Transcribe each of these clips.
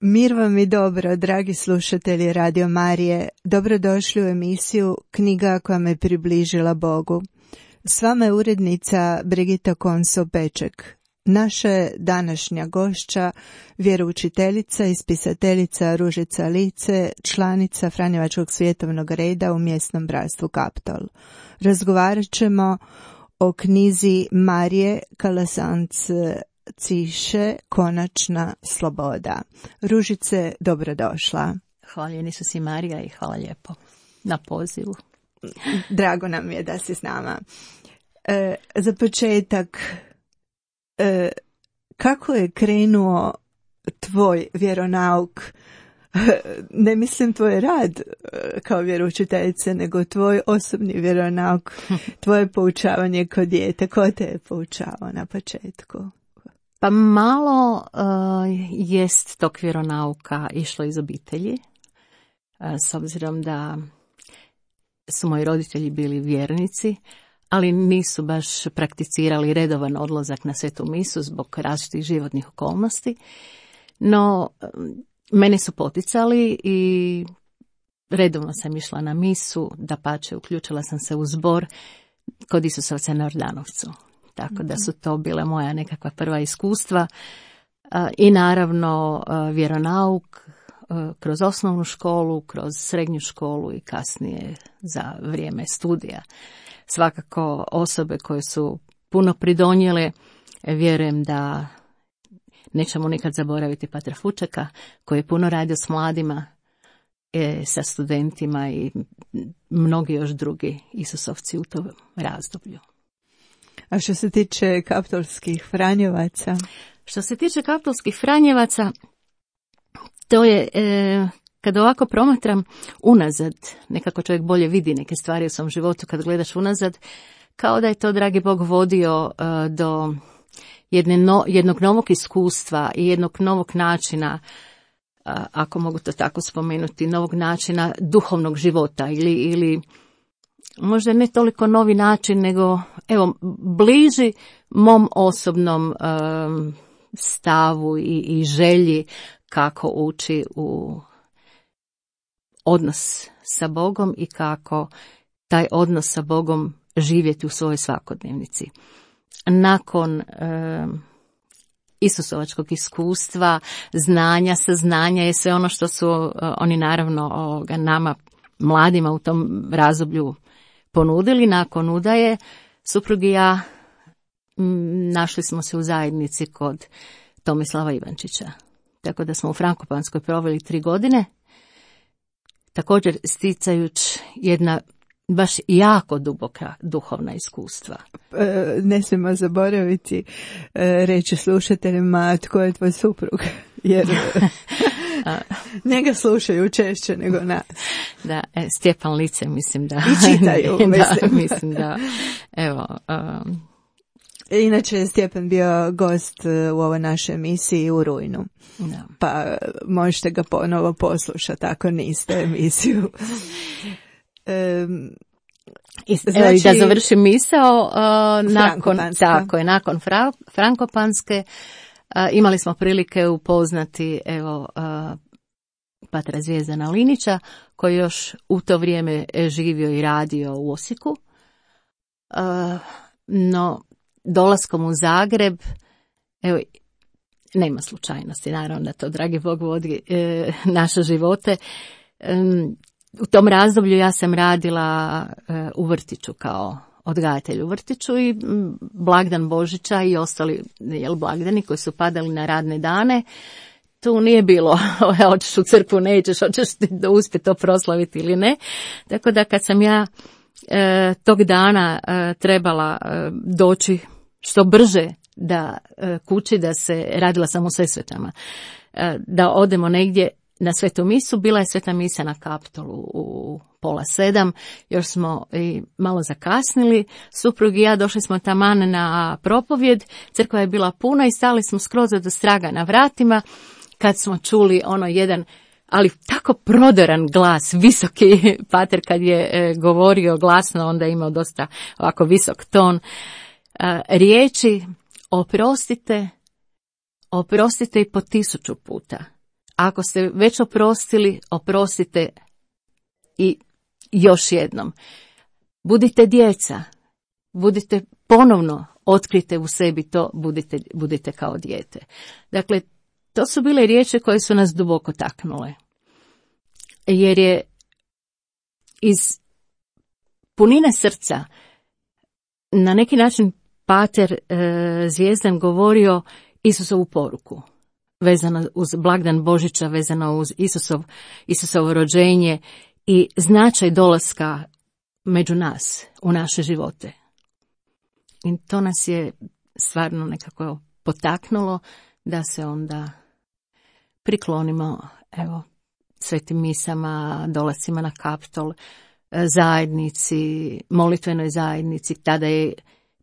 Mir vam i dobro, dragi slušatelji Radio Marije. Dobrodošli u emisiju Knjiga koja me približila Bogu. S vama je urednica Brigita Konso-Peček. Naša današnja gošća, vjeroučiteljica i spisateljica Ružica Lice, članica Franjevačkog svjetovnog reda u mjesnom bratstvu Kaptol. Razgovarat ćemo o knjizi Marije Kalasanc-Ciše Konačna sloboda. Ružice, dobrodošla. Hvala Isusi Marija i hvala lijepo na pozivu. Drago nam je da si s nama. Za početak, kako je krenuo tvoj vjeronauk? Ne mislim tvoj rad kao vjeroučiteljice, nego tvoj osobni vjeronauk, tvoje poučavanje kao dijete. Ko te je poučavao na početku? Pa malo jest tog vjeronauka išlo iz obitelji, s obzirom da su moji roditelji bili vjernici, ali nisu baš prakticirali redovan odlazak na svetu misu zbog različitih životnih okolnosti. No, mene su poticali i redovno sam išla na misu, dapače uključila sam se u zbor kod Isusovca na Jordanovcu. Tako da su to bile moja nekakva prva iskustva i naravno vjeronauk kroz osnovnu školu, kroz srednju školu i kasnije za vrijeme studija. Svakako osobe koje su puno pridonijele, vjerujem da nećemo nikad zaboraviti Patra Fučeka, koji je puno radio s mladima, sa studentima i mnogi još drugi Isusovci u tom razdoblju. A što se tiče kaptolskih Franjevaca? Što se tiče kaptolskih Franjevaca, to je, kad ovako promatram unazad, nekako čovjek bolje vidi neke stvari u svom životu kad gledaš unazad, kao da je to, dragi Bog, vodio do jednog novog iskustva i jednog novog načina, ako mogu to tako spomenuti, novog načina duhovnog života ili možda ne toliko novi način, nego evo bliži mom osobnom stavu i želji kako ući u odnos sa Bogom i kako taj odnos sa Bogom živjeti u svojoj svakodnevnici. Nakon Isusovačkog iskustva, znanja, saznanja je sve ono što su oni naravno nama mladima u tom razdoblju ponudili. Nakon udaje suprug i ja našli smo se u zajednici kod Tomislava Ivančića. Tako da smo u Frankopanskoj proveli 3 godine, također sticajući jedna baš jako duboka duhovna iskustva. Ne smijemo zaboraviti reći slušateljima tko je tvoj suprug, jer njega slušaju češće nego nas. Da, Stjepan Lice, mislim da... I čitaju, mislim da, evo... Inače je Stjepan bio gost u ovoj našoj emisiji u rujnu. Da. Pa možete ga ponovo poslušati ako niste emisiju. Znači, da završim misao, nakon Frankopanske imali smo prilike upoznati patra Zvijezdana Linića, koji još u to vrijeme živio i radio u Osijeku. No, dolaskom u Zagreb, evo, nema slučajnosti, naravno da to, dragi Bog, vodi naše živote. U tom razdoblju ja sam radila u vrtiću kao odgajatelj u vrtiću i blagdan Božića i ostali blagdani koji su padali na radne dane. Tu nije bilo hoćeš u crkvu, nećeš, hoćeš uspjeti to proslaviti ili ne. Tako da kad sam ja tog dana trebala doći što brže da kući, da se radila sam u Sesvetama, da odemo negdje na svetu misu. Bila je sveta misa na Kaptolu u 6:30, još smo i malo zakasnili. Suprug i ja došli smo taman na propovjed, crkva je bila puna i stali smo skroz do straga na vratima kad smo čuli jedan, ali tako prodoran glas, visoki pater kad je govorio glasno, onda je imao dosta ovako visok ton, riječi oprostite i po 1000 puta. Ako ste već oprostili, oprostite i još jednom. Budite djeca, budite ponovno, otkrite u sebi to, budite kao dijete. Dakle, to su bile riječi koje su nas duboko taknule. Jer je iz punine srca na neki način pater Zvijezdan govorio Isusovu poruku, vezano uz blagdan Božića, vezano uz Isusovo rođenje i značaj dolaska među nas, u naše živote. I to nas je stvarno nekako potaknulo da se onda priklonimo, svetim misama, dolascima na Kaptol, zajednici, molitvenoj zajednici. Tada je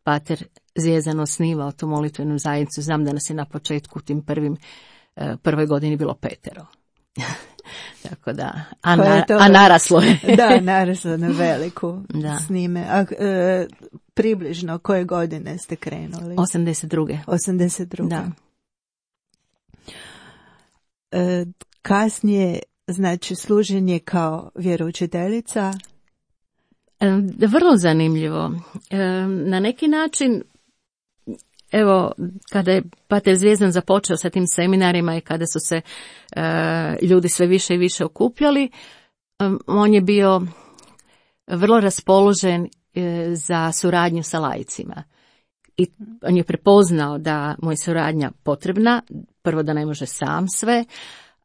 pater Zvijezdan osnivao tu molitvenu zajednicu. Znam da nas je na početku u tim prvoj godini bilo 5. Tako da, a naraslo je. Da, naraslo na veliku s njime. A približno koje godine ste krenuli? 82. Da. Kasnije, znači, služenje kao vjeroučiteljica? Vrlo zanimljivo. Na neki način, kada je pater Zvijezdan započeo sa tim seminarima i kada su se ljudi sve više i više okupljali, on je bio vrlo raspoložen za suradnju sa laicima. I on je prepoznao da mu je suradnja potrebna, prvo da ne može sam sve,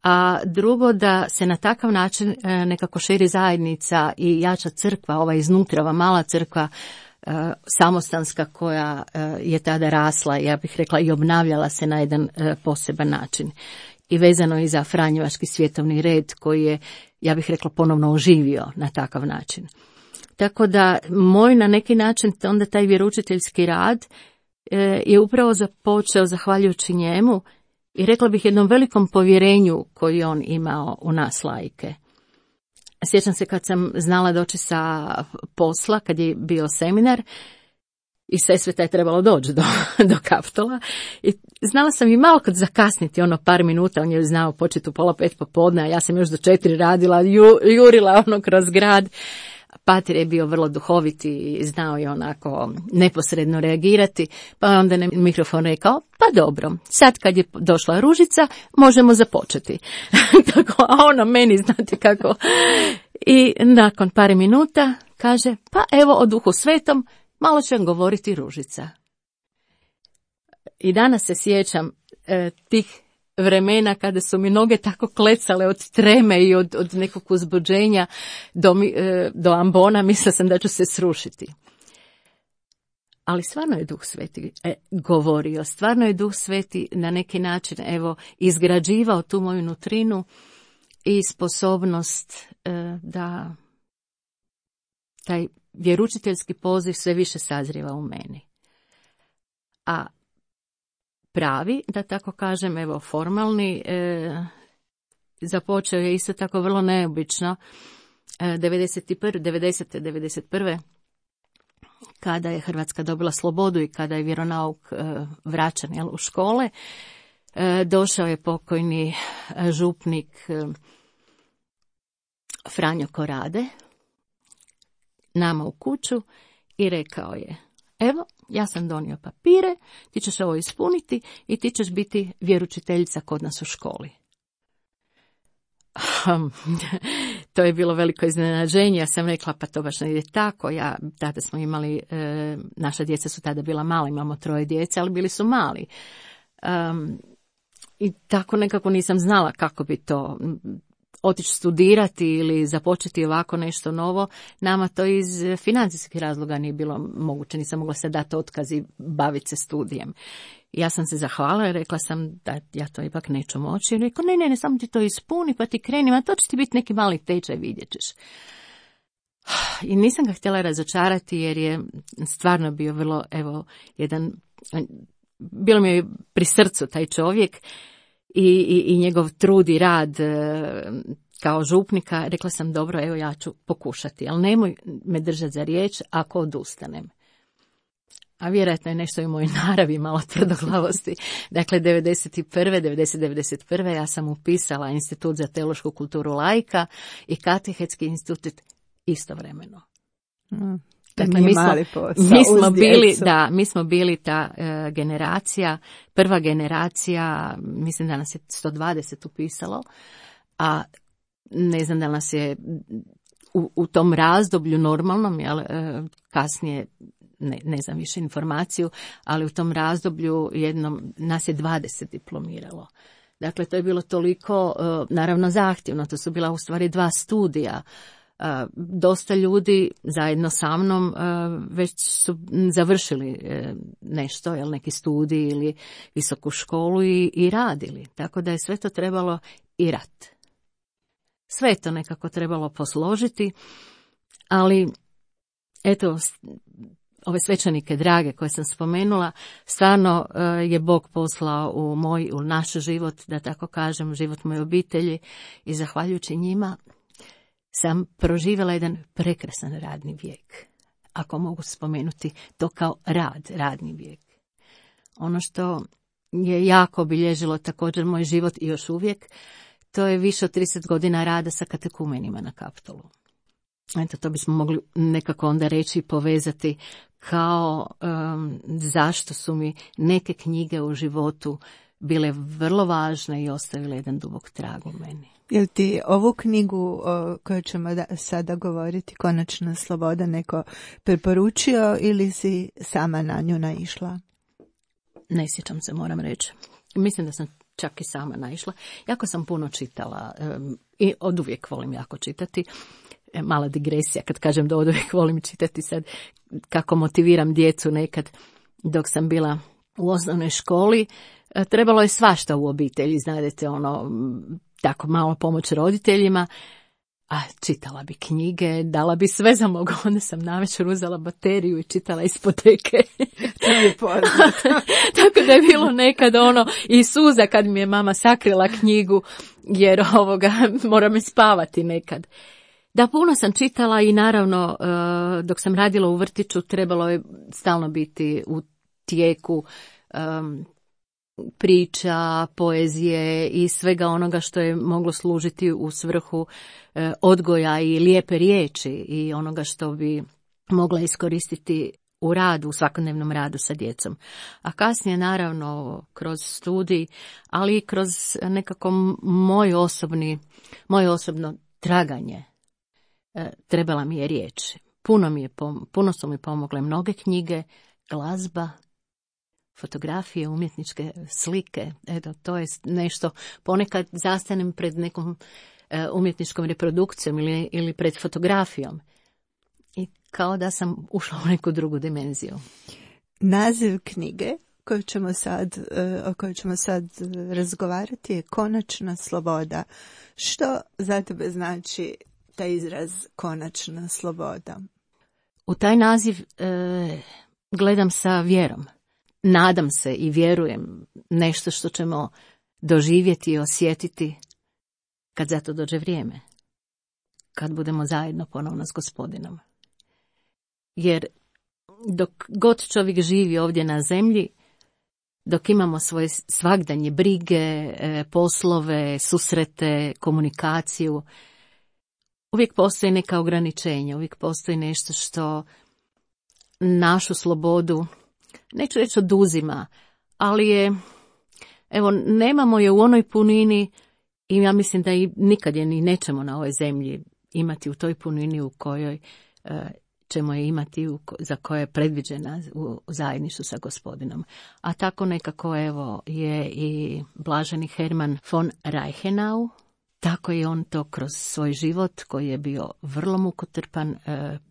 a drugo da se na takav način nekako širi zajednica i jača crkva, ova iznutra, ova mala crkva samostanska koja je tada rasla, ja bih rekla, i obnavljala se na jedan poseban način. I vezano i za Franjevački svjetovni red koji je, ja bih rekla, ponovno oživio na takav način. Tako da moj na neki način onda taj vjeroučiteljski rad je upravo započeo zahvaljujući njemu i rekla bih jednom velikom povjerenju koji on imao u nas laike. Sjećam se kad sam znala doći sa posla, kad je bio seminar, i Sesveta je trebalo doći do Kaptola. I znala sam i malo kad zakasniti, par minuta, on je znao početi u 4:30 popodne, a ja sam još do 4 radila, jurila kroz grad. Pater je bio vrlo duhoviti i znao je onako neposredno reagirati, pa je onda na mikrofon rekao, pa dobro, sad kad je došla Ružica, možemo započeti. Tako, a ona meni, znate kako. I nakon par minuta kaže, pa evo o Duhu Svetom, malo će vam govoriti Ružica. I danas se sjećam tih vremena kada su mi noge tako klecale od treme i od nekog uzbuđenja do ambona, mislila sam da ću se srušiti. Ali stvarno je Duh Sveti govorio, stvarno je Duh Sveti na neki način izgrađivao tu moju nutrinu i sposobnost da taj vjeručiteljski poziv sve više sazrijeva u meni. A pravi, da tako kažem, formalni, započeo je isto tako vrlo neobično 91. kada je Hrvatska dobila slobodu i kada je vjeronauk vraćan u škole. Došao je pokojni župnik Franjo Korade nama u kuću i rekao je, evo, ja sam donio papire, ti ćeš ovo ispuniti i ti ćeš biti vjeručiteljica kod nas u školi. To je bilo veliko iznenađenje, ja sam rekla, pa to baš ne ide tako. Tada smo imali, naša djeca su tada bila mala, imamo 3 djece, ali bili su mali. I tako nekako nisam znala kako bi to otići studirati ili započeti ovako nešto novo. Nama to iz financijskih razloga nije bilo moguće, nisam mogla se dati otkaz i baviti se studijem. Ja sam se zahvalila i rekla sam da ja to ipak neću moći. I rekao, ne, samo ti to ispuni pa ti kreni, a to će ti biti neki mali tečaj, vidjet ćeš. I nisam ga htjela razočarati jer je stvarno bio vrlo, bilo mi je pri srcu taj čovjek i njegov trud i rad kao župnika. Rekla sam, dobro, ja ću pokušati, ali nemoj me držati za riječ ako odustanem. A vjerojatno je nešto i u mojoj naravi malo tvrdoglavosti. Dakle, 91. ja sam upisala Institut za teološku kulturu laika i Katehetski institut istovremeno. Dakle, mi smo bili ta generacija, prva generacija, mislim da nas je 120 upisalo, a ne znam da nas je u tom razdoblju normalnom, kasnije ne znam više informaciju, ali u tom razdoblju nas je 20 diplomiralo. Dakle, to je bilo toliko, naravno, zahtjevno, to su bila u stvari 2 studija. Dosta ljudi zajedno sa mnom već su završili nešto, neki studij ili visoku školu i radili. Tako da je sve to trebalo i rat. Sve je to nekako trebalo posložiti, ali eto, ove svećenike drage koje sam spomenula, stvarno je Bog poslao u naš život, da tako kažem, život moje obitelji i zahvaljujući njima sam proživjela jedan prekrasan radni vijek. Ako mogu spomenuti to kao radni vijek. Ono što je jako obilježilo također moj život i još uvijek, to je više od 30 godina rada sa katekumenima na Kaptolu. Eto, to bismo mogli nekako onda reći i povezati kao zašto su mi neke knjige u životu bile vrlo važne i ostavile jedan dubok trag u meni. Jel ti ovu knjigu o kojoj ćemo sada govoriti, Konačna sloboda, neko preporučio ili si sama na nju naišla? Ne sjećam se, moram reći. Mislim da sam čak i sama naišla. Jako sam puno čitala i oduvijek volim jako čitati. Mala digresija kad kažem da oduvijek volim čitati, sad kako motiviram djecu nekad dok sam bila u osnovnoj školi. Trebalo je svašta u obitelji, znate, tako malo pomoć roditeljima, a čitala bi knjige, dala bi sve za mogu, onda sam navečer uzela bateriju i čitala ispoteke. To je poznato. Tako da je bilo nekad i suza kad mi je mama sakrila knjigu, jer mora me spavati nekad. Da, puno sam čitala i naravno dok sam radila u vrtiću trebalo je stalno biti u tijeku priča, poezije i svega onoga što je moglo služiti u svrhu odgoja i lijepe riječi i onoga što bi mogla iskoristiti u radu, u svakodnevnom radu sa djecom. A kasnije, naravno, kroz studij, ali i kroz nekako moje osobno traganje, trebala mi je riječ. Puno su mi pomogle mnoge knjige, glazba, fotografije, umjetničke slike. Eto, to je nešto, ponekad zastanem pred nekom umjetničkom reprodukcijom ili pred fotografijom. I kao da sam ušla u neku drugu dimenziju. Naziv knjige o kojoj ćemo sad razgovarati je Konačna sloboda. Što za tebe znači taj izraz konačna sloboda? U taj naziv gledam sa vjerom. Nadam se i vjerujem nešto što ćemo doživjeti i osjetiti kad za to dođe vrijeme. Kad budemo zajedno ponovno s Gospodinom. Jer dok god čovjek živi ovdje na zemlji, dok imamo svoje svagdanje brige, poslove, susrete, komunikaciju, uvijek postoji neka ograničenja, uvijek postoji nešto što našu slobodu, neću reći oduzima, ali nemamo je u onoj punini i ja mislim da i nikad je ni nećemo na ovoj zemlji imati u toj punini u kojoj ćemo je imati, za koje je predviđena u zajedništvu sa Gospodinom. A tako nekako je i blaženi Herman von Reichenau, tako je on to kroz svoj život koji je bio vrlo mukotrpan,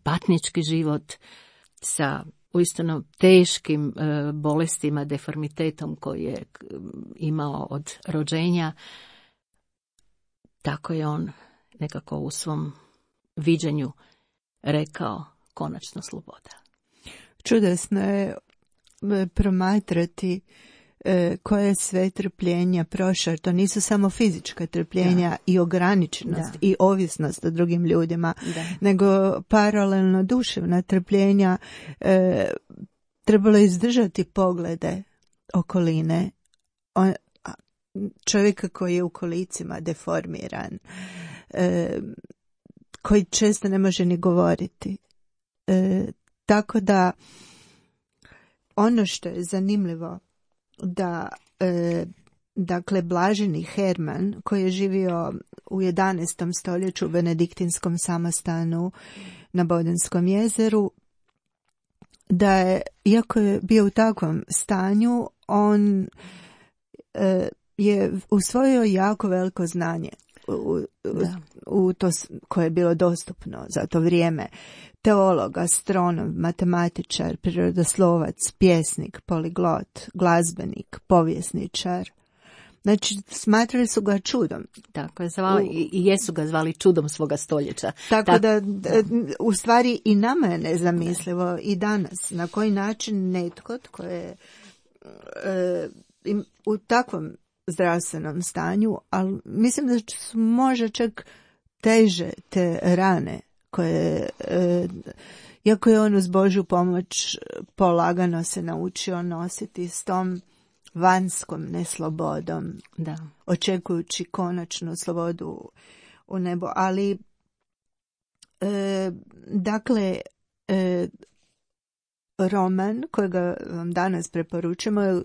patnički život sa uistinu teškim bolestima, deformitetom koji je imao od rođenja, tako je on nekako u svom viđenju rekao konačna sloboda. Čudesno je promatrati koje sve trpljenja prošao. To nisu samo fizička trpljenja i ograničenost i ovisnost o drugim ljudima, nego paralelno duševna trpljenja. Trebalo izdržati poglede okoline. Čovjeka koji je u kolicima deformiran, koji često ne može ni govoriti. Tako da ono što je zanimljivo da dakle blaženi Herman koji je živio u 11. stoljeću u benediktinskom samostanu na Bodenskom jezeru, da je, iako je bio u takvom stanju, on je usvojio jako veliko znanje u to koje je bilo dostupno za to vrijeme. Teolog, astronom, matematičar, prirodoslovac, pjesnik, poliglot, glazbenik, povjesničar. Znači, smatrali su ga čudom. Tako je zvali, i jesu ga zvali čudom svoga stoljeća. Tako da, u stvari i nama je nezamislivo i danas. Na koji način netko tko je u takvom zdravstvenom stanju, ali mislim da su možda čak teže te rane koje, iako je on uz Božju pomoć polagano se naučio nositi s tom vanjskom neslobodom, očekujući konačnu slobodu u nebo. Ali, dakle, roman kojega vam danas preporučujemo,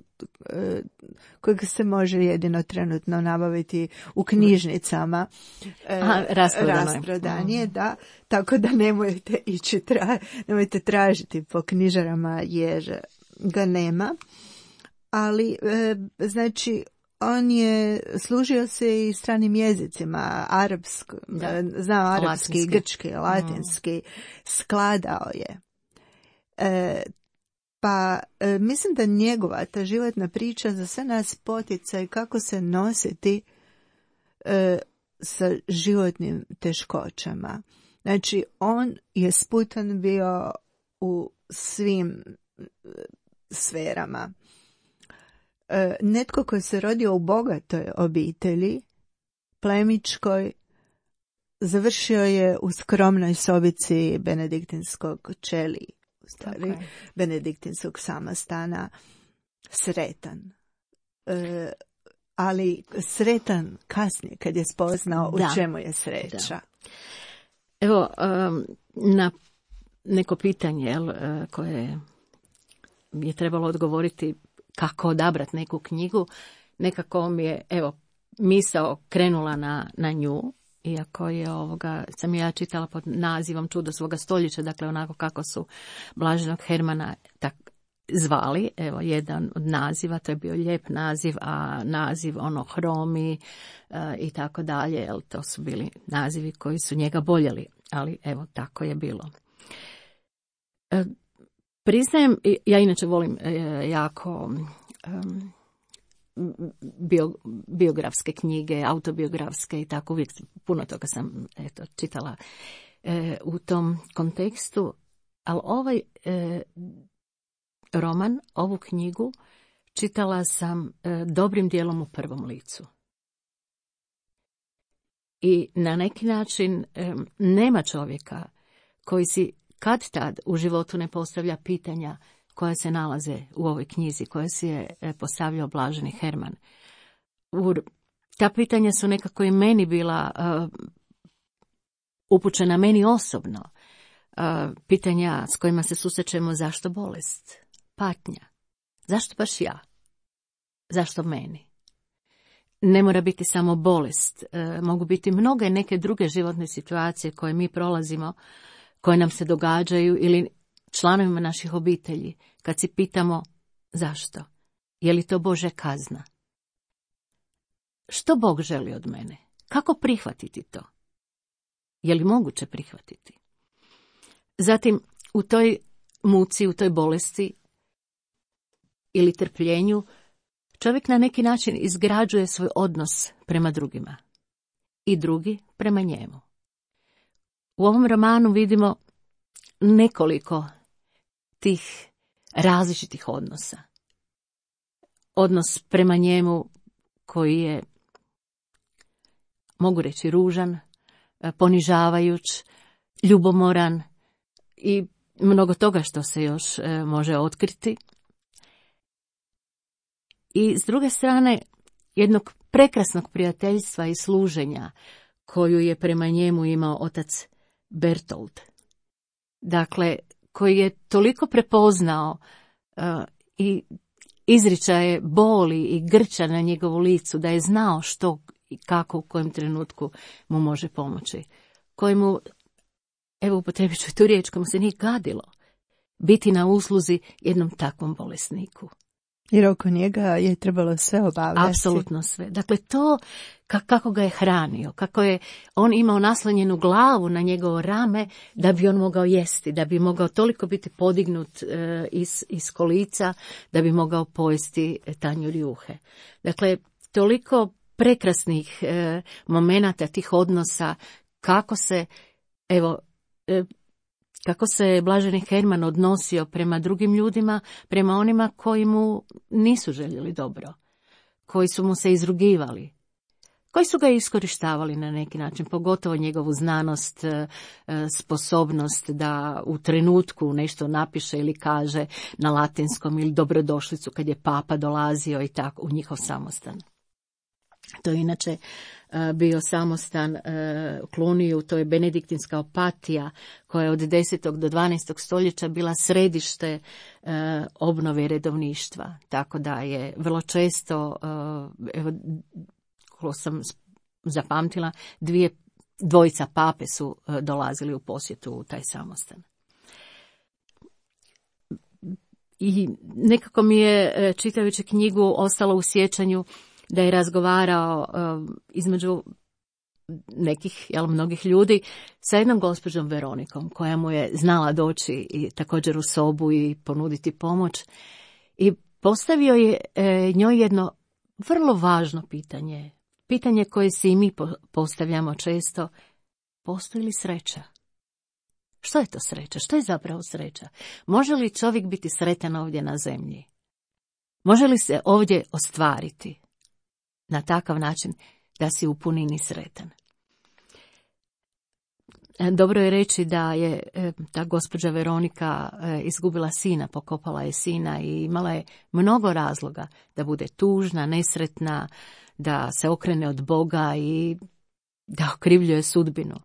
kojeg se može jedino trenutno nabaviti u knjižnicama, rasprodan je, da, tako da nemojte ići nemojte tražiti po knjižarama jer ga nema. Ali, znači, on je služio se i stranim jezicima, znao arapski, grčki, latinski, skladao je. Pa mislim da njegova ta životna priča za sve nas poticaj kako se nositi sa životnim teškoćama. Znači, on je sputan bio u svim sferama. Netko koji se rodio u bogatoj obitelji, plemičkoj, završio je u skromnoj sobici benediktinskog ćeliji, benediktinskog samostana, sretan. ali sretan kasnije kad je spoznao u čemu je sreća. Da. Evo, na neko pitanje koje je trebalo odgovoriti kako odabrati neku knjigu, nekako mi je misao krenula na nju, iako je sam ja čitala pod nazivom Čudo svoga stoljeća, dakle onako kako su Blaženog Hermana zvali, jedan od naziva, to je bio lijep naziv, a naziv Hromi i tako dalje, to su bili nazivi koji su njega boljeli, ali tako je bilo. Priznajem, ja inače volim jako biografske knjige, autobiografske i tako, uvijek puno toga sam čitala u tom kontekstu, ali ovaj roman, ovu knjigu čitala sam dobrim dijelom u prvom licu. I na neki način nema čovjeka koji si kad tad u životu ne postavlja pitanja koja se nalaze u ovoj knjizi, koje si je postavljao Blaženi Herman. Ta pitanja su nekako i meni bila upućena meni osobno. Pitanja s kojima se susrećemo: zašto bolest, patnja, zašto baš ja, zašto meni? Ne mora biti samo bolest, mogu biti mnoge neke druge životne situacije koje mi prolazimo, koje nam se događaju ili članovima naših obitelji, kad si pitamo zašto, je li to Božja kazna? Što Bog želi od mene? Kako prihvatiti to? Je li moguće prihvatiti? Zatim, u toj muci, u toj bolesti ili trpljenju, čovjek na neki način izgrađuje svoj odnos prema drugima i drugi prema njemu. U ovom romanu vidimo nekoliko tih različitih odnosa. Odnos prema njemu koji je, mogu reći, ružan, ponižavajuć, ljubomoran i mnogo toga što se još može otkriti. I s druge strane, jednog prekrasnog prijateljstva i služenja koju je prema njemu imao otac Bertold. Dakle, koji je toliko prepoznao i izričaje boli i grča na njegovu licu, da je znao što i kako u kojem trenutku mu može pomoći. Kojemu, upotrebit ću tu riječ, komu se nije gadilo biti na usluzi jednom takvom bolesniku. Jer oko njega je trebalo sve obavljati. Apsolutno sve. Dakle, to kako ga je hranio, kako je on imao naslonjenu glavu na njegovo rame da bi on mogao jesti, da bi mogao toliko biti podignut iz kolica, da bi mogao pojesti tanjur juhe. Dakle, toliko prekrasnih momenata, tih odnosa, kako se Blaženi Herman odnosio prema drugim ljudima, prema onima koji mu nisu željeli dobro, koji su mu se izrugivali, koji su ga iskorištavali na neki način, pogotovo njegovu znanost, sposobnost da u trenutku nešto napiše ili kaže na latinskom, ili dobrodošlicu kad je papa dolazio i tako u njihov samostan. To je inače bio samostan u Cluniju, to je benediktinska opatija koja je od 10. do 12. stoljeća bila središte obnove redovništva. Tako da je vrlo često, ko sam zapamtila, dvojica pape su dolazili u posjetu u taj samostan. I nekako mi je, čitajući knjigu, ostalo u sjećanju da je razgovarao između nekih, mnogih ljudi, sa jednom gospođom Veronikom, koja mu je znala doći i također u sobu i ponuditi pomoć. I postavio je njoj jedno vrlo važno pitanje. Pitanje koje si i mi postavljamo često: postoji li sreća? Što je to sreća? Što je zapravo sreća? Može li čovjek biti sretan ovdje na zemlji? Može li se ovdje ostvariti na takav način da si u punini sretan? Dobro je reći da je ta gospođa Veronika izgubila sina, pokopala je sina i imala je mnogo razloga da bude tužna, nesretna, da se okrene od Boga i da okrivljuje sudbinu.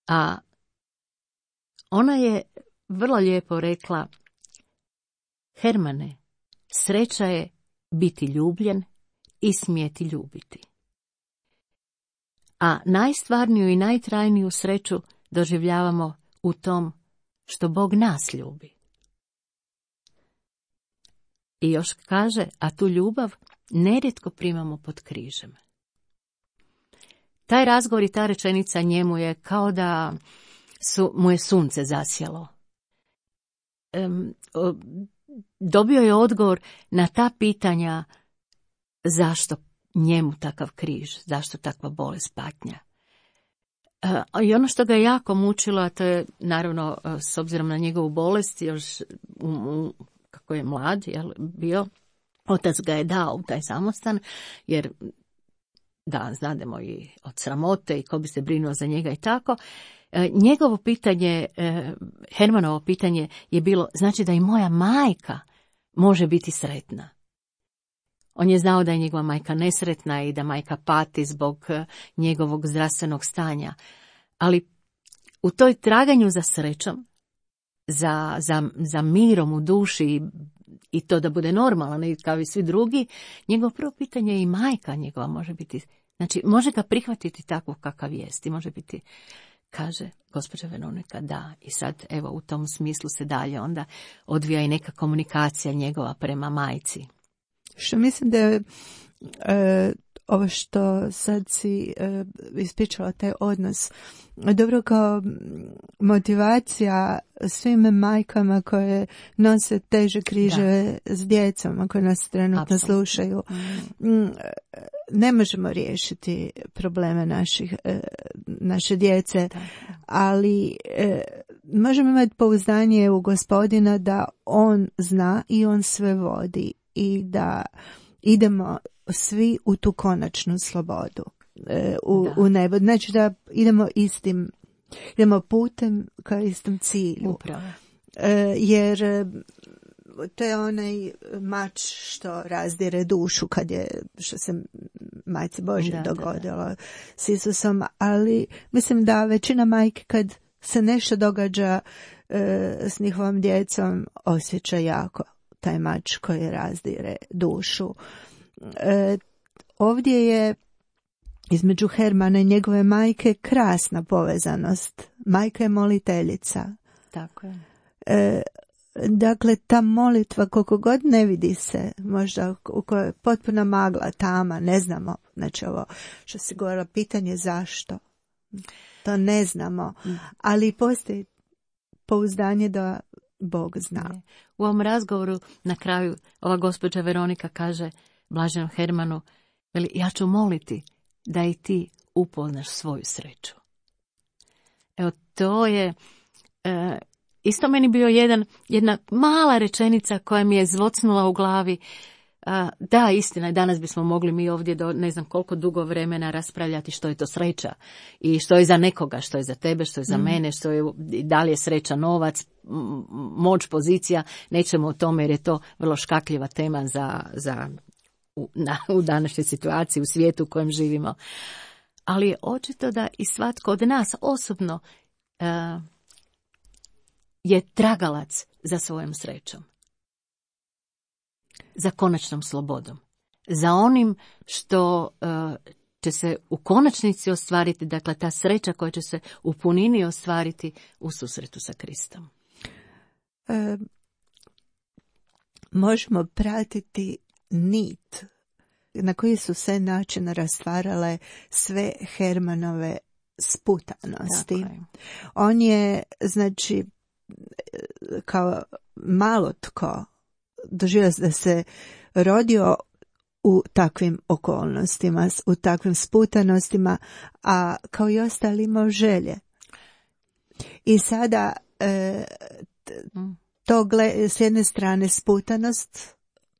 A ona je vrlo lijepo rekla: Hermane, sreća je biti ljubljen i smjeti ljubiti. A najstvarniju i najtrajniju sreću doživljavamo u tom što Bog nas ljubi. I još kaže, a tu ljubav nerijetko primamo pod križem. Taj razgovor i ta rečenica njemu je kao da mu je sunce zasjelo. Dobio je odgovor na ta pitanja zašto njemu takav križ, zašto takva bolest, patnja. I ono što ga je jako mučilo, a to je naravno s obzirom na njegovu bolest, još kako je mlad bio, otac ga je dao u taj samostan, jer da, znademo i od sramote i ko bi se brinuo za njega i tako. Njegovo pitanje, Hermanovo pitanje je bilo, znači da i moja majka može biti sretna. On je znao da je njegova majka nesretna i da majka pati zbog njegovog zdravstvenog stanja. Ali u toj traganju za srećom, za mirom u duši i to da bude normalno, kao i svi drugi, njegovo prvo pitanje je i majka njegova može biti, znači može ga prihvatiti tako kakav jest i može biti, kaže gospođa Veronika, da. I sad evo u tom smislu se dalje onda odvija i neka komunikacija njegova prema majci. Što mislim da je ovo što sad si ispričala, taj odnos, dobro kao motivacija svim majkama koje nose teže križeve s djecom, koje nas trenutno slušaju. Ne možemo riješiti probleme naše djece, ali možemo imati pouzdanje u Gospodina da On zna i On sve vodi i da idemo svi u tu konačnu slobodu, u nebo. Znači da idemo putem ka istom cilju. Upravo. Jer to je onaj mač što razdire dušu što se Majci Božje dogodilo s Isusom, ali mislim da većina majke kad se nešto događa s njihovom djecom osjeća jako taj mač koji razdire dušu. Ovdje je između Hermana i njegove majke krasna povezanost. Majka je moliteljica. Tako je. Dakle, ta molitva, koliko god ne vidi se, možda u kojoj je potpuna magla, tama, ne znamo. Znači ovo što si govorila, pitanje zašto. To ne znamo. Ali postoji pouzdanje da Bog zna. U ovom razgovoru na kraju ova gospođa Veronika kaže blaženom Hermanu, veli, ja ću moliti da i ti upoznaš svoju sreću. Evo, to je isto meni bio jedna mala rečenica koja mi je zvocnula u glavi. Da, istina je, danas bismo mogli mi ovdje do ne znam koliko dugo vremena raspravljati što je to sreća i što je za nekoga, što je za tebe, što je za mene, što je, da li je sreća novac, moć, pozicija, nećemo o tome jer je to vrlo škakljiva tema u današnjoj situaciji, u svijetu u kojem živimo. Ali je očito da i svatko od nas osobno je tragalac za svojom srećom. Za konačnom slobodom. Za onim što će se u konačnici ostvariti, dakle ta sreća koja će se u punini ostvariti u susretu sa Kristom. Možemo pratiti nit na koji su se način rastvarale sve Hermanove sputanosti. On je, znači, kao malo tko doživio da se rodio u takvim okolnostima, u takvim sputanostima, a kao i ostali imao želje. I sada to s jedne strane sputanost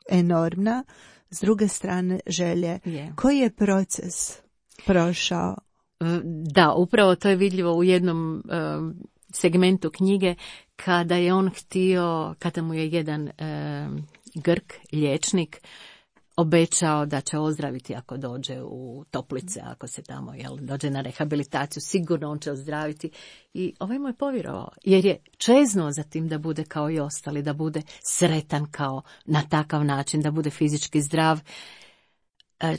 enormna, s druge strane želje. Koji je proces prošao Da, upravo to je vidljivo u jednom segmentu knjige, kada je on htio, kada mu je jedan Grk, liječnik, obećao da će ozdraviti ako dođe u Toplice, ako se tamo dođe na rehabilitaciju, sigurno on će ozdraviti. I ovaj mu je povjerovao, jer je čeznuo za tim da bude kao i ostali, da bude sretan kao na takav način, da bude fizički zdrav.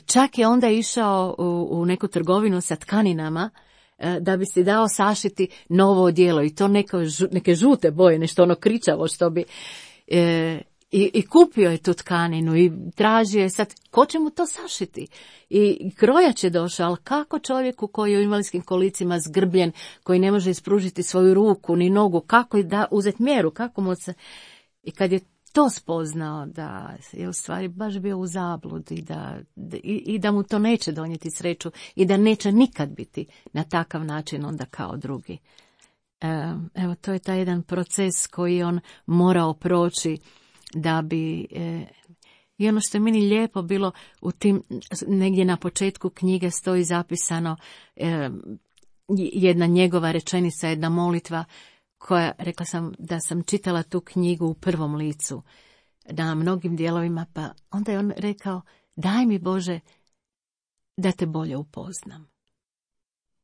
Čak je onda išao u neku trgovinu sa tkaninama da bi si dao sašiti novo odijelo i to neke žute boje, nešto ono kričavo što bi... I kupio je tu tkaninu i tražio je sad, ko će mu to sašiti? I krojač je došao, ali kako čovjeku koji je u invalidskim kolicima zgrbljen, koji ne može ispružiti svoju ruku ni nogu, kako da uzeti mjeru, kako mu se... I kad je to spoznao da je u stvari baš bio u zabludi i da mu to neće donijeti sreću i da neće nikad biti na takav način onda kao drugi. Evo, to je taj jedan proces koji on morao proći da bi, i ono što je meni lijepo bilo u tim, negdje na početku knjige stoji zapisano jedna njegova rečenica, jedna molitva koja, rekla sam da sam čitala tu knjigu u prvom licu na mnogim dijelovima, pa onda je on rekao, daj mi Bože da te bolje upoznam,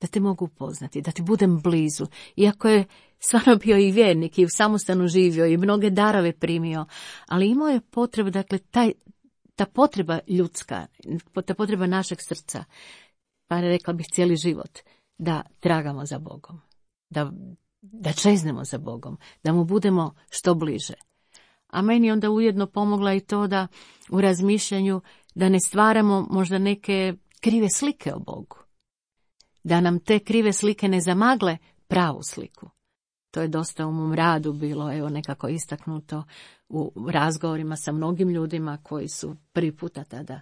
da te mogu upoznati, da ti budem blizu. Iako je stvarno bio i vjernik i u samostanu živio i mnoge darove primio, ali imao je potrebu, dakle, ta potreba ljudska, ta potreba našeg srca, pa rekla bih cijeli život, da tragamo za Bogom, da čeznemo za Bogom, da mu budemo što bliže. A meni onda ujedno pomogla i to da u razmišljanju da ne stvaramo možda neke krive slike o Bogu. Da nam te krive slike ne zamagle pravu sliku. To je dosta u mom radu bilo, evo, nekako istaknuto u razgovorima sa mnogim ljudima koji su prvi puta tada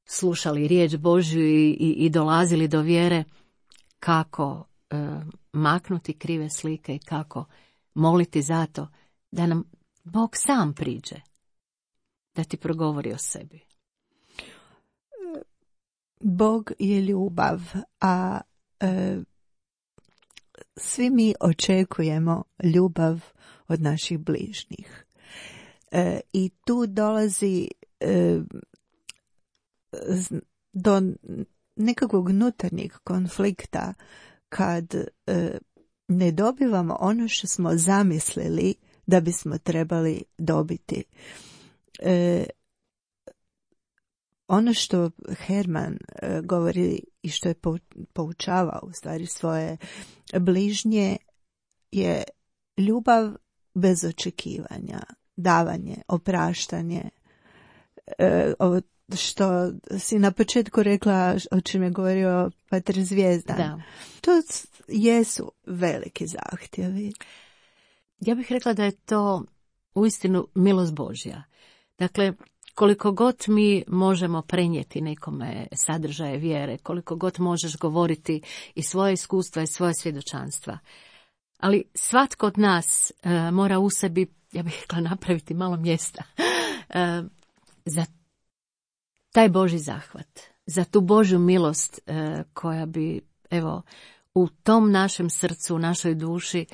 slušali riječ Božju i dolazili do vjere, kako maknuti krive slike i kako moliti za to da nam Bog sam priđe, da ti progovori o sebi. Bog je ljubav, a svi mi očekujemo ljubav od naših bližnjih. I tu dolazi do nekakvog unutarnjeg konflikta kad ne dobivamo ono što smo zamislili da bismo trebali dobiti. Ono što Herman govori i što je poučavao u stvari svoje bližnje je ljubav bez očekivanja, davanje, opraštanje. Ovo što si na početku rekla, o čem je govorio Pater Zvijezdan. Da. To jesu veliki zahtjevi. Ja bih rekla da je to uistinu milost Božja. Dakle, koliko god mi možemo prenijeti nekome sadržaje vjere, koliko god možeš govoriti i svoje iskustva i svoje svjedočanstva, ali svatko od nas mora u sebi, ja bih rekla, napraviti malo mjesta za taj Božji zahvat, za tu Božju milost koja bi, evo, u tom našem srcu, u našoj duši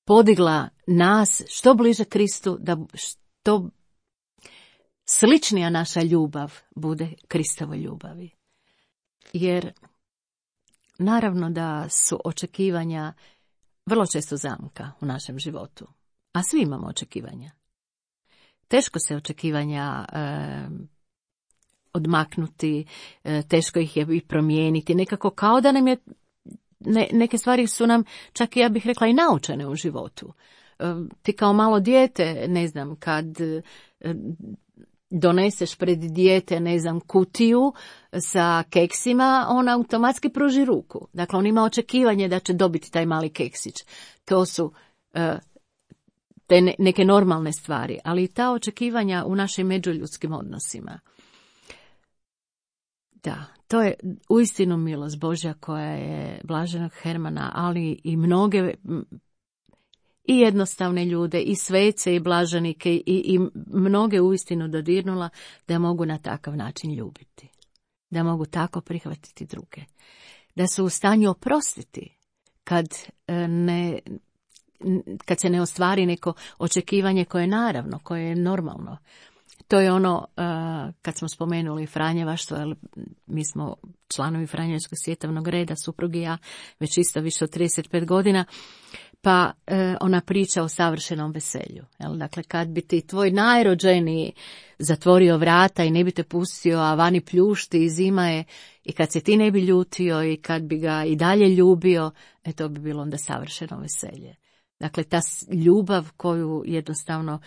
podigla nas što bliže Kristu, da što sličnija naša ljubav bude Kristovoj ljubavi. Jer naravno da su očekivanja vrlo često zamka u našem životu, a svi imamo očekivanja. Teško se očekivanja odmaknuti, teško ih je i promijeniti, nekako kao da nam je, neke stvari su nam, čak ja bih rekla, i naučene u životu. Ti kao malo dijete, ne znam, kad doneseš pred dijete, ne znam, kutiju sa keksima, on automatski pruži ruku. Dakle, on ima očekivanje da će dobiti taj mali keksić. To su te neke normalne stvari, ali i ta očekivanja u našim međuljudskim odnosima. Da, to je uistinu milost Božja koja je blaženog Hermana, ali i mnoge i jednostavne ljude, i svece, i blaženike, i mnoge uistinu dodirnula da mogu na takav način ljubiti. Da mogu tako prihvatiti druge. da su u stanju oprostiti kad se ne ostvari neko očekivanje koje je naravno, koje je normalno. To je ono, kad smo spomenuli Franjevaštvo, jer mi smo članovi Franjevačkog svjetovnog reda, suprug i ja, već isto više od 35 godina, pa ona priča o savršenom veselju. Jel? Dakle, kad bi ti tvoj najrođeniji zatvorio vrata i ne bi te pustio, a vani pljušti i zima je, i kad se ti ne bi ljutio i kad bi ga i dalje ljubio, to bi bilo onda savršeno veselje. Dakle, ta ljubav koju jednostavno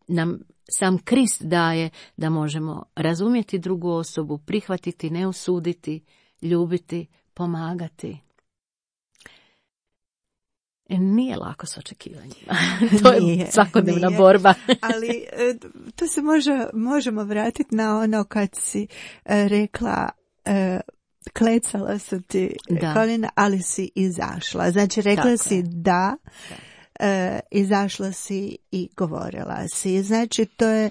nam sam Krist daje, da možemo razumjeti drugu osobu, prihvatiti, ne osuditi, ljubiti, pomagati. Nije lako s očekivanjima. To je svakodnevna borba. Ali to se možemo vratiti na ono kad si rekla klecala su ti kolina, ali si izašla. Znači rekla tako si da. Izašla si i govorila si. Znači to je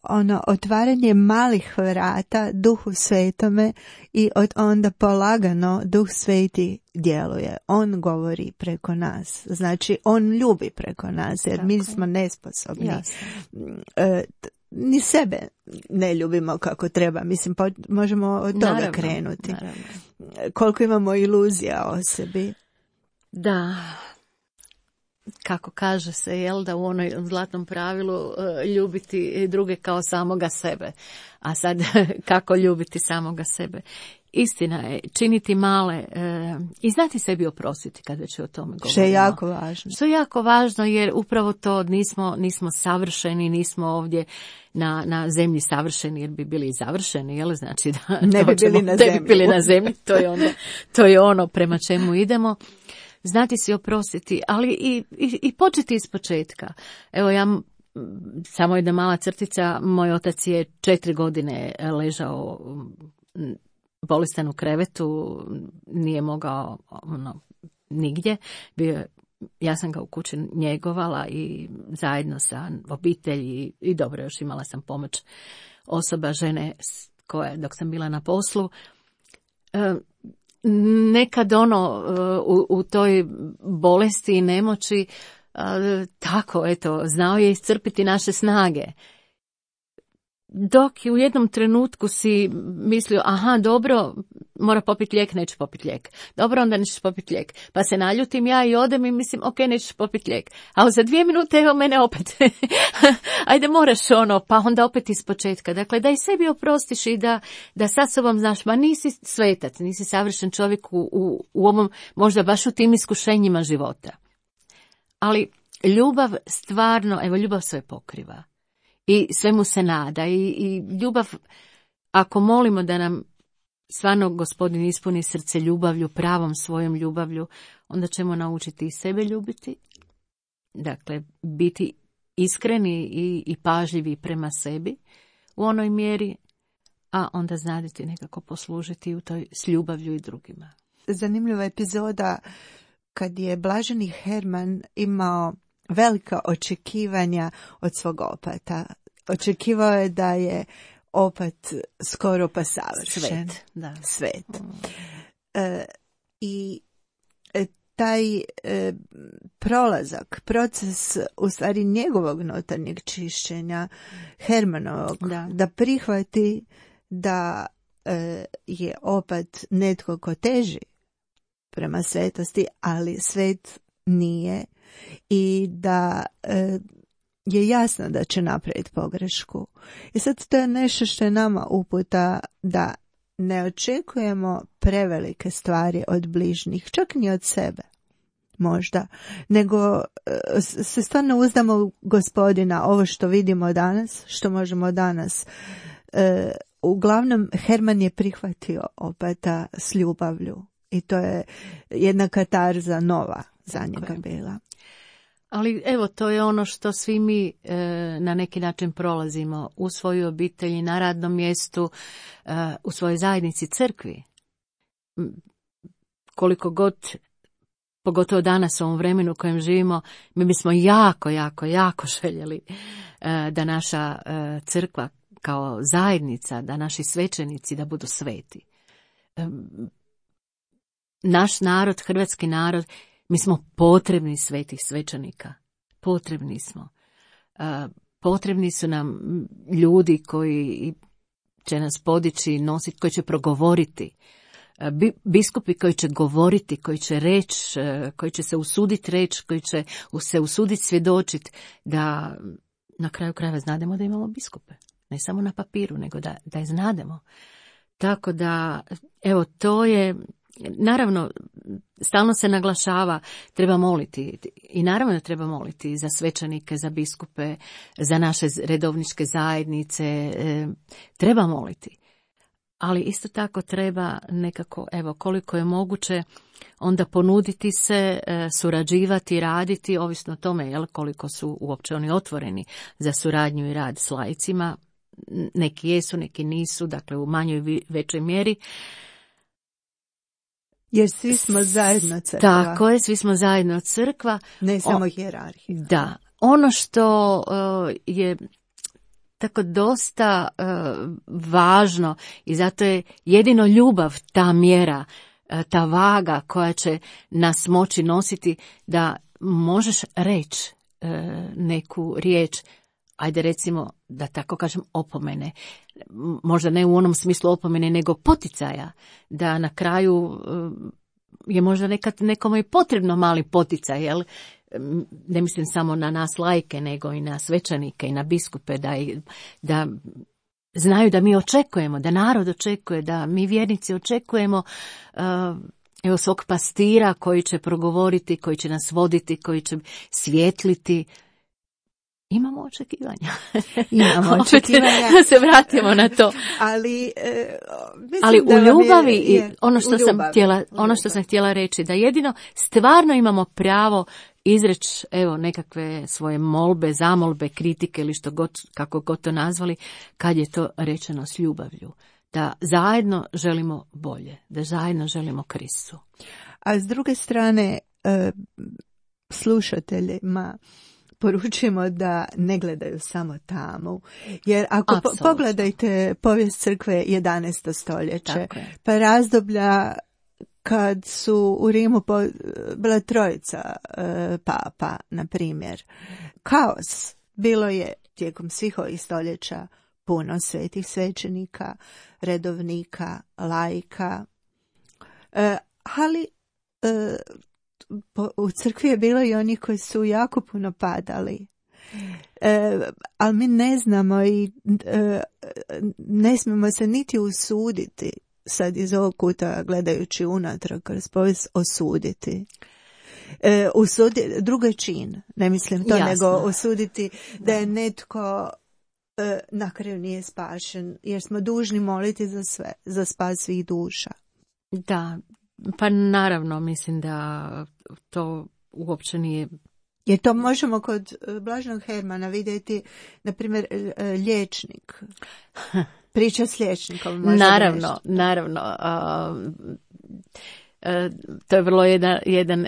ono otvaranje malih vrata Duhu Svetome i onda polagano Duh Sveti djeluje. On govori preko nas. Znači on ljubi preko nas jer tako, mi smo nesposobni. Ni sebe ne ljubimo kako treba. Mislim, možemo od toga krenuti. Naravno. Koliko imamo iluzija o sebi. Da. Kako kaže se, jel, da u onoj zlatnom pravilu ljubiti druge kao samoga sebe. A sad kako ljubiti samoga sebe? Istina je, činiti male i znati sebi oprostiti kad već o tome govorimo. Što je jako važno. Što je jako važno jer upravo to nismo savršeni, nismo ovdje na zemlji savršeni jer bi bili završeni, jel? Znači da ne bi bili na zemlji. To je ono prema čemu idemo. Znati si oprostiti, ali i početi iz početka. Evo samo jedna mala crtica, moj otac je 4 godine ležao bolestan u krevetu, nije mogao nigdje, ja sam ga u kući njegovala i zajedno sa obitelji i dobro, još imala sam pomoć osoba, žene koje dok sam bila na poslu. Nekad u toj bolesti i nemoći tako, znao je iscrpiti naše snage. Dok u jednom trenutku si mislio, aha, dobro, mora popiti lijek, neću popiti lijek. Dobro, onda nećeš popiti lijek. Pa se naljutim ja i odem i mislim, ok, nećeš popiti lijek. A za 2 minute, evo mene opet. Ajde, moraš pa onda opet iz početka. Dakle, da i sebi oprostiš i da sa sobom znaš, ma nisi svetac, nisi savršen čovjek u ovom, možda baš u tim iskušenjima života. Ali ljubav stvarno, ljubav sve pokriva. I svemu se nada i ljubav, ako molimo da nam stvarno Gospodin ispuni srce ljubavlju, pravom svojom ljubavlju, onda ćemo naučiti i sebe ljubiti, dakle biti iskreni i pažljivi prema sebi u onoj mjeri, a onda znati nekako poslužiti u toj s ljubavlju i drugima. Zanimljiva epizoda kad je blaženi Herman imao velika očekivanja od svog opata. Očekivao je da je opat skoro pa savršen. Svet. I taj prolazak, proces u stvari njegovog unutarnjeg čišćenja, Hermanovog, da prihvati da je opat netko ko teži prema svetosti, ali svet nije, i da je jasno da će napraviti pogrešku. I sad to je nešto što je nama uputa, da ne očekujemo prevelike stvari od bližnjih, čak ni od sebe možda, nego se stvarno uzdamo u Gospodina, ovo što vidimo danas, što možemo danas. Uglavnom, Herman je prihvatio opata s ljubavlju i to je jedna katarza nova za njega bila. Ali evo, to je ono što svi mi na neki način prolazimo u svojoj obitelji, na radnom mjestu, u svojoj zajednici, crkvi. Koliko god, pogotovo danas u ovom vremenu u kojem živimo, mi bismo jako željeli da naša crkva kao zajednica, da naši svećenici da budu sveti. naš narod, hrvatski narod, mi smo potrebni svetih svećenika. Potrebni smo. Potrebni su nam ljudi koji će nas podići, nositi, koji će progovoriti. Biskupi koji će govoriti, koji će reći, koji će se usuditi reći, koji će se usuditi svjedočiti, da na kraju krajeva znademo da imamo biskupe. Ne samo na papiru, nego da je znademo. Tako da, evo, to je, naravno, stalno se naglašava, treba moliti. I naravno da treba moliti za svećenike, za biskupe, za naše redovničke zajednice. Treba moliti. Ali isto tako treba nekako, evo, koliko je moguće, onda ponuditi se, surađivati, raditi, ovisno o tome, jel, koliko su uopće oni otvoreni za suradnju i rad s laicima. Neki jesu, neki nisu, dakle u manjoj većoj mjeri. Jer svi smo zajedno crkva. Tako je, svi smo zajedno crkva. Ne samo hijerarhija. Da. Ono što je tako dosta važno i zato je jedino ljubav ta mjera, ta vaga koja će nas moći nositi, da možeš reći neku riječ, ajde recimo, da tako kažem, opomene. Možda ne u onom smislu opomene, nego poticaja. Da na kraju je možda nekad nekome i potrebno mali poticaj, jel? Ne mislim samo na nas laike, nego i na svećenike i na biskupe, da znaju da mi očekujemo, da narod očekuje, da mi vjernici očekujemo evo, svog pastira koji će progovoriti, koji će nas voditi, koji će svijetliti. Imamo očekivanja. Imamo očekivanja. Da se vratimo na to. Ali u ljubavi, ono što sam htjela reći, da jedino stvarno imamo pravo izreći, evo, nekakve svoje molbe, zamolbe, kritike ili što god, kako god to nazvali, kad je to rečeno s ljubavlju. Da zajedno želimo bolje, da zajedno želimo Kristu. A s druge strane, slušateljima poručujemo da ne gledaju samo tamo. Jer ako pogledajte povijest crkve 11. stoljeće, pa razdoblja kad su u Rimu bila trojica papa, na primjer. Kaos. Bilo je tijekom svih ovih stoljeća puno svetih svećenika, redovnika, laika. Ali u crkvi je bilo i onih koji su jako puno padali. Ali mi ne znamo i ne smijemo se niti usuditi sad iz ovog kuta gledajući unatrag kroz povijest osuditi. Drugi čin, ne mislim to, nego osuditi da je netko na kraju nije spašen, jer smo dužni moliti za sve, za spas svih duša. Da, pa naravno mislim da to uopće nije. Jer to možemo kod Blaženog Hermana vidjeti, na primjer, liječnik. Priča s liječnikom. Naravno. To je vrlo jedan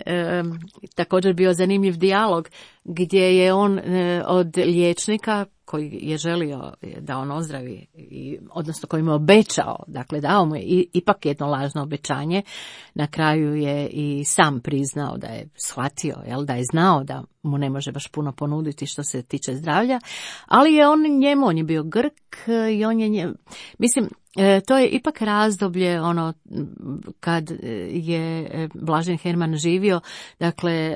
također bio zanimljiv dijalog gdje je on od liječnika koji je želio da on ozdravi, odnosno koji mu je obećao, dakle dao mu je ipak jedno lažno obećanje, na kraju je i sam priznao da je shvatio, da je znao da mu ne može baš puno ponuditi što se tiče zdravlja, ali je on je bio Grk i on je mislim, to je ipak razdoblje kad je Blažen Herman živio, dakle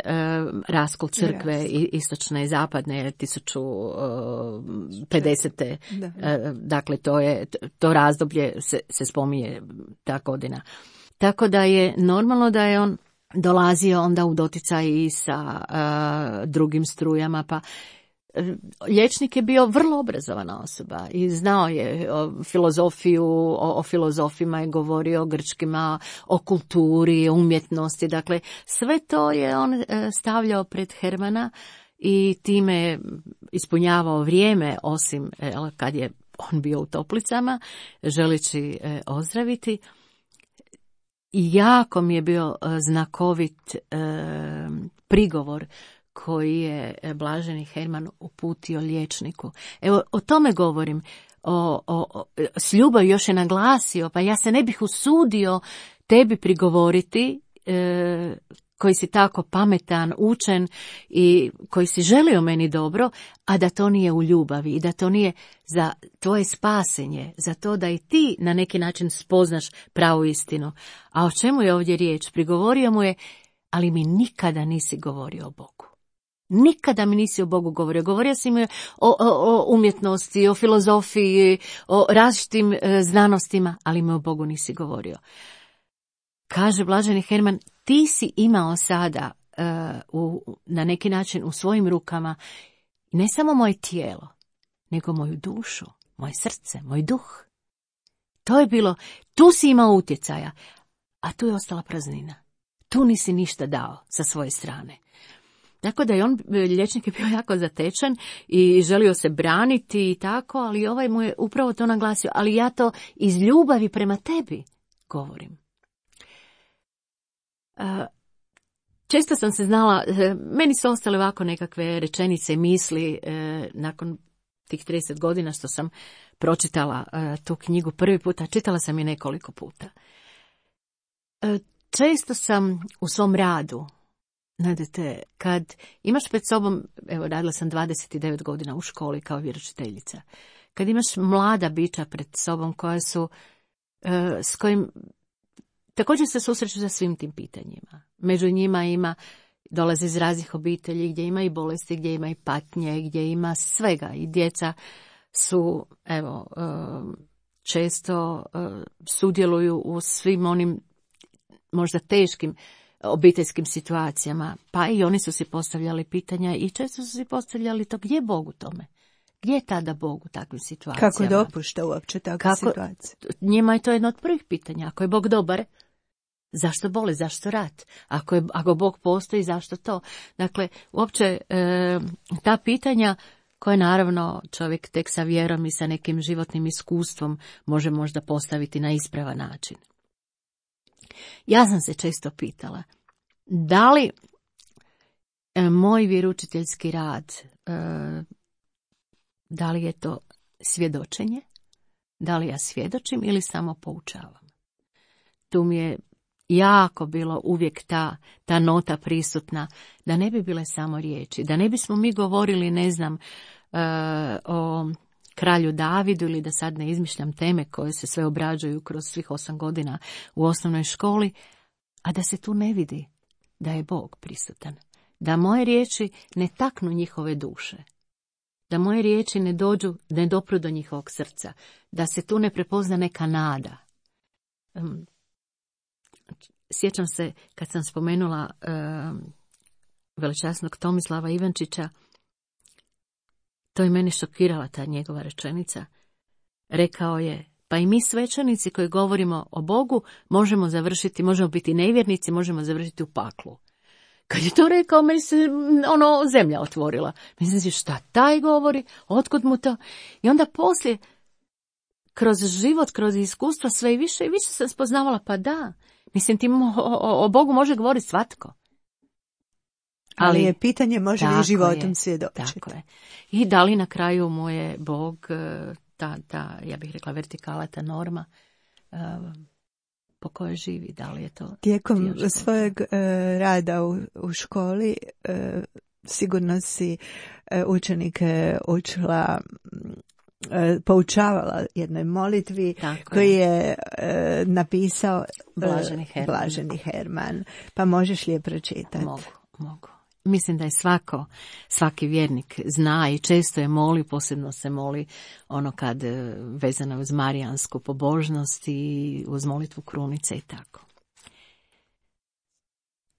raskol crkve istočne i zapadne 1050. Dakle to razdoblje se spominje ta godina. Tako da je normalno da je on dolazio onda u doticaj i sa drugim strujama, pa liječnik je bio vrlo obrazovana osoba i znao je filozofiju, o filozofima je govorio, o grčkima, o kulturi, o umjetnosti, dakle sve to je on stavljao pred Hermana i time ispunjavao vrijeme, osim kad je on bio u toplicama, želeći ozdraviti. I jako mi je bio znakovit prigovor koji je Blaženi Herman uputio liječniku. Evo, o tome govorim. S ljubav još je naglasio, pa ja se ne bih usudio tebi prigovoriti koji si tako pametan, učen i koji si želio meni dobro, a da to nije u ljubavi i da to nije za tvoje spasenje, za to da i ti na neki način spoznaš pravu istinu. A o čemu je ovdje riječ? Prigovorio mu je, ali mi nikada nisi govorio o Bogu. Nikada mi nisi o Bogu govorio. Govorio si mi o umjetnosti, o filozofiji, o različitim znanostima, ali mi o Bogu nisi govorio. Kaže blaženi Herman, ti si imao sada na neki način u svojim rukama ne samo moje tijelo, nego moju dušu, moje srce, moj duh. To je bilo, tu si imao utjecaja, a tu je ostala praznina. Tu nisi ništa dao sa svoje strane. Tako da je liječnik je bio jako zatečen i želio se braniti i tako, ali ovaj mu je upravo to naglasio, ali ja to iz ljubavi prema tebi govorim. Često sam se znala, meni su ostale ovako nekakve rečenice i misli nakon tih 30 godina što sam pročitala tu knjigu prvi puta, čitala sam je nekoliko puta. Često sam u svom radu, znate, kad imaš pred sobom, evo radila sam 29 godina u školi kao vjeroučiteljica, kad imaš mlada bića pred sobom koja su, s kojim također se susreću sa svim tim pitanjima. Među njima dolaze iz raznih obitelji gdje ima i bolesti, gdje ima i patnje, gdje ima svega. I djeca su, evo, često sudjeluju u svim onim možda teškim obiteljskim situacijama. Pa i oni su si postavljali pitanja i često su si postavljali to gdje je Bog u tome. Gdje je tada Bog u takvim situacijama? Kako dopušta uopće takve situacije? Njima je to jedno od prvih pitanja. Ako je Bog dobar, zašto boli, zašto rat? Ako Bog postoji, zašto to? Dakle, uopće ta pitanja koje naravno čovjek tek sa vjerom i sa nekim životnim iskustvom može možda postaviti na ispravan način. Ja sam se često pitala, da li moj vjeroučiteljski rad, da li je to svjedočenje, da li ja svjedočim ili samo poučavam. Tu mi je jako bilo uvijek ta nota prisutna, da ne bi bile samo riječi, da ne bismo mi govorili, ne znam, o kralju Davidu ili da sad ne izmišljam teme koje se sve obrađuju kroz svih 8 godina u osnovnoj školi, a da se tu ne vidi da je Bog prisutan, da moje riječi ne taknu njihove duše, da moje riječi ne dopru do njihovog srca, da se tu ne prepozna neka nada. Sjećam se kad sam spomenula veličasnog Tomislava Ivančića, to je meni šokirala ta njegova rečenica. Rekao je, pa i mi svećenici koji govorimo o Bogu možemo biti nevjernici, možemo završiti u paklu. Kad je to rekao, meni se zemlja otvorila. Mislim, šta taj govori, otkud mu to? I onda poslije, kroz život, kroz iskustva, sve i više sam spoznavala, pa da, mislim, o Bogu može govoriti svatko. Ali je pitanje, može li životom svjedočiti. Tako je. I da li na kraju mu je Bog, ta ja bih rekla, vertikala, ta norma, po kojoj živi, da li je to... Tijekom svojeg rada u školi sigurno si učenike učila, poučavala jednoj molitvi koju je napisao Blaženi Herman. Pa možeš li je pročitati? Mogu. Mislim da je svaki vjernik zna i često je moli, posebno se moli kad vezano uz marijansku pobožnost i uz molitvu krunice i tako.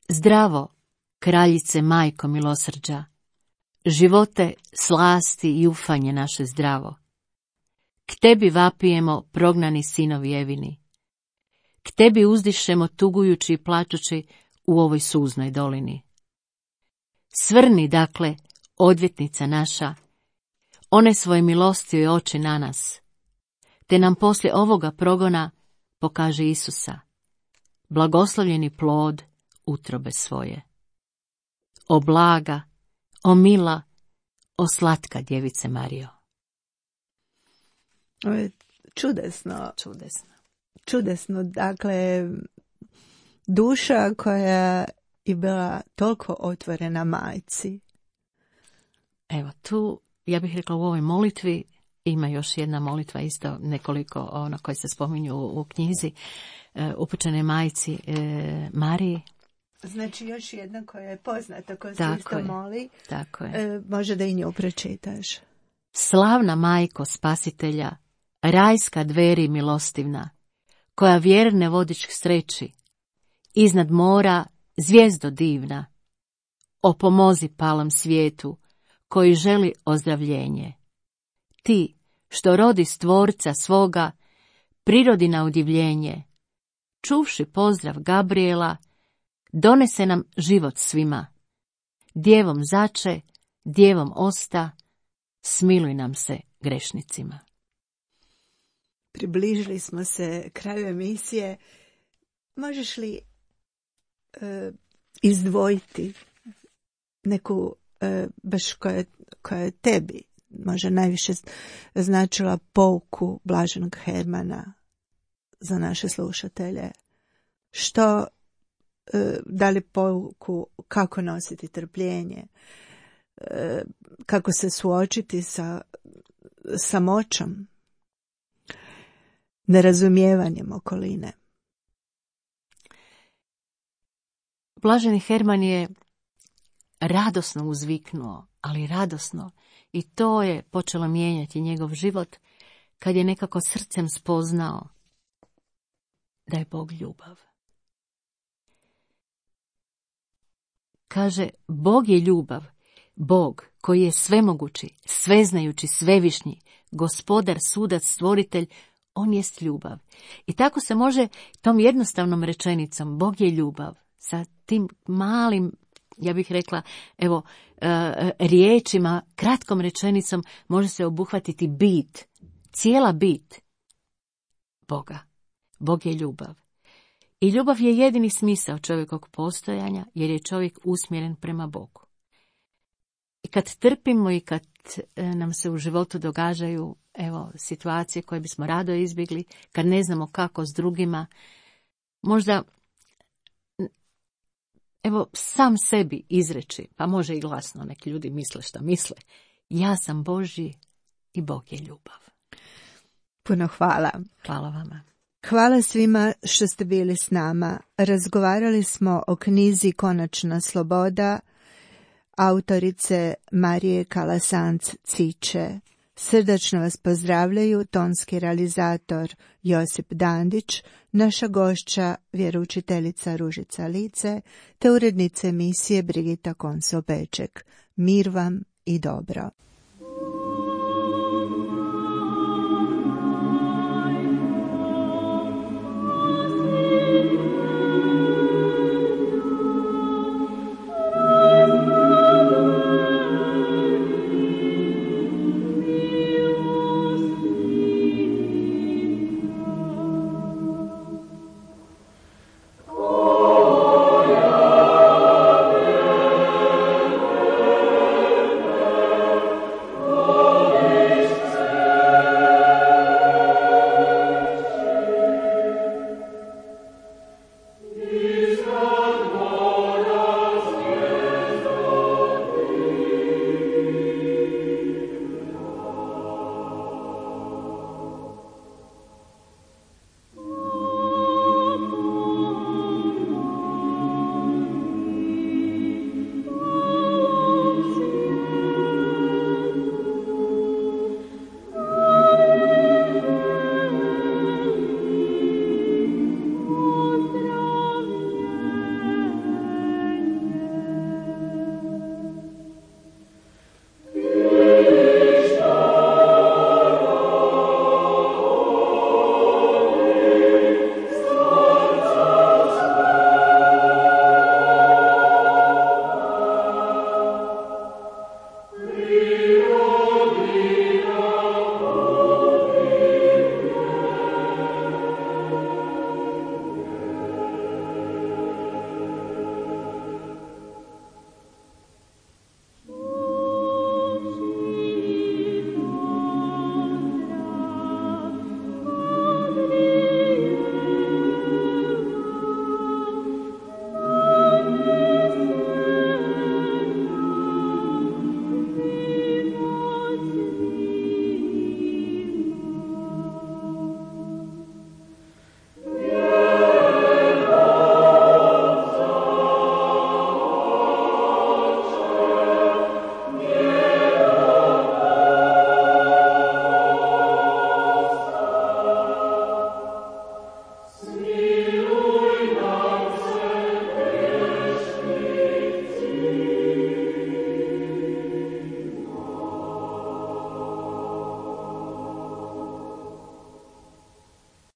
Zdravo, kraljice majko milosrđa, živote, slasti i ufanje naše zdravo. K tebi vapijemo, prognani sinovi Evini. K tebi uzdišemo tugujući i plačući u ovoj suznoj dolini. Svrni, dakle, odvjetnica naša, one svoje milostive oči na nas, te nam poslije ovoga progona pokaže Isusa, blagoslovljeni plod utrobe svoje. O blaga, o mila, o slatka djevice Marijo. Ovo je čudesno, dakle, duša koja je bila toliko otvorena majci. Evo, tu, ja bih rekla, u ovoj molitvi ima još jedna molitva, isto nekoliko koje se spominju u knjizi, upućene majci Mariji. Znači još jedna koja je poznata, koja se tako isto je, moli. Tako je. Može da i nju pročitaš. Slavna majko spasitelja, rajska dveri milostivna, koja vjerne vodič k sreći, iznad mora zvijezdo divna, opomozi palom svijetu, koji želi ozdravljenje. Ti, što rodi stvorca svoga, prirodi na udivljenje, čuvši pozdrav Gabriela, donese nam život svima. Djevom zače, djevom osta, smiluj nam se grešnicima. Približili smo se kraju emisije. Možeš li izdvojiti neku baš koja je tebi možda najviše značila pouku Blaženog Hermana za naše slušatelje? Što, da li pouku kako nositi trpljenje, kako se suočiti sa samoćom, nerazumijevanjem okoline? Blaženi Herman je radosno uzviknuo, ali radosno, i to je počelo mijenjati njegov život kad je nekako srcem spoznao da je Bog ljubav. Kaže, Bog je ljubav, Bog koji je svemogući, sveznajući, svevišnji, gospodar, sudac, stvoritelj, on jest ljubav. I tako se može tom jednostavnom rečenicom, Bog je ljubav, sa tim malim, ja bih rekla, evo, riječima, kratkom rečenicom može se obuhvatiti bit, cijela bit Boga. Bog je ljubav. I ljubav je jedini smisao čovjekovog postojanja, jer je čovjek usmjeren prema Bogu. I kad trpimo i kad nam se u životu događaju, evo, situacije koje bismo rado izbjegli, kad ne znamo kako s drugima, možda, evo, sam sebi izreći, pa može i glasno, neki ljudi misle šta misle, ja sam Božji i Bog je ljubav. Puno hvala. Hvala vama. Hvala svima što ste bili s nama. Razgovarali smo o knjizi Konačna sloboda, autorice Marije Kalasanc-Ciče. Srdačno vas pozdravljaju tonski realizator Josip Dandić, naša gošća vjeroučiteljica Ružica Lice, te urednica emisije Brigita Konso-Peček. Mir vam i dobro.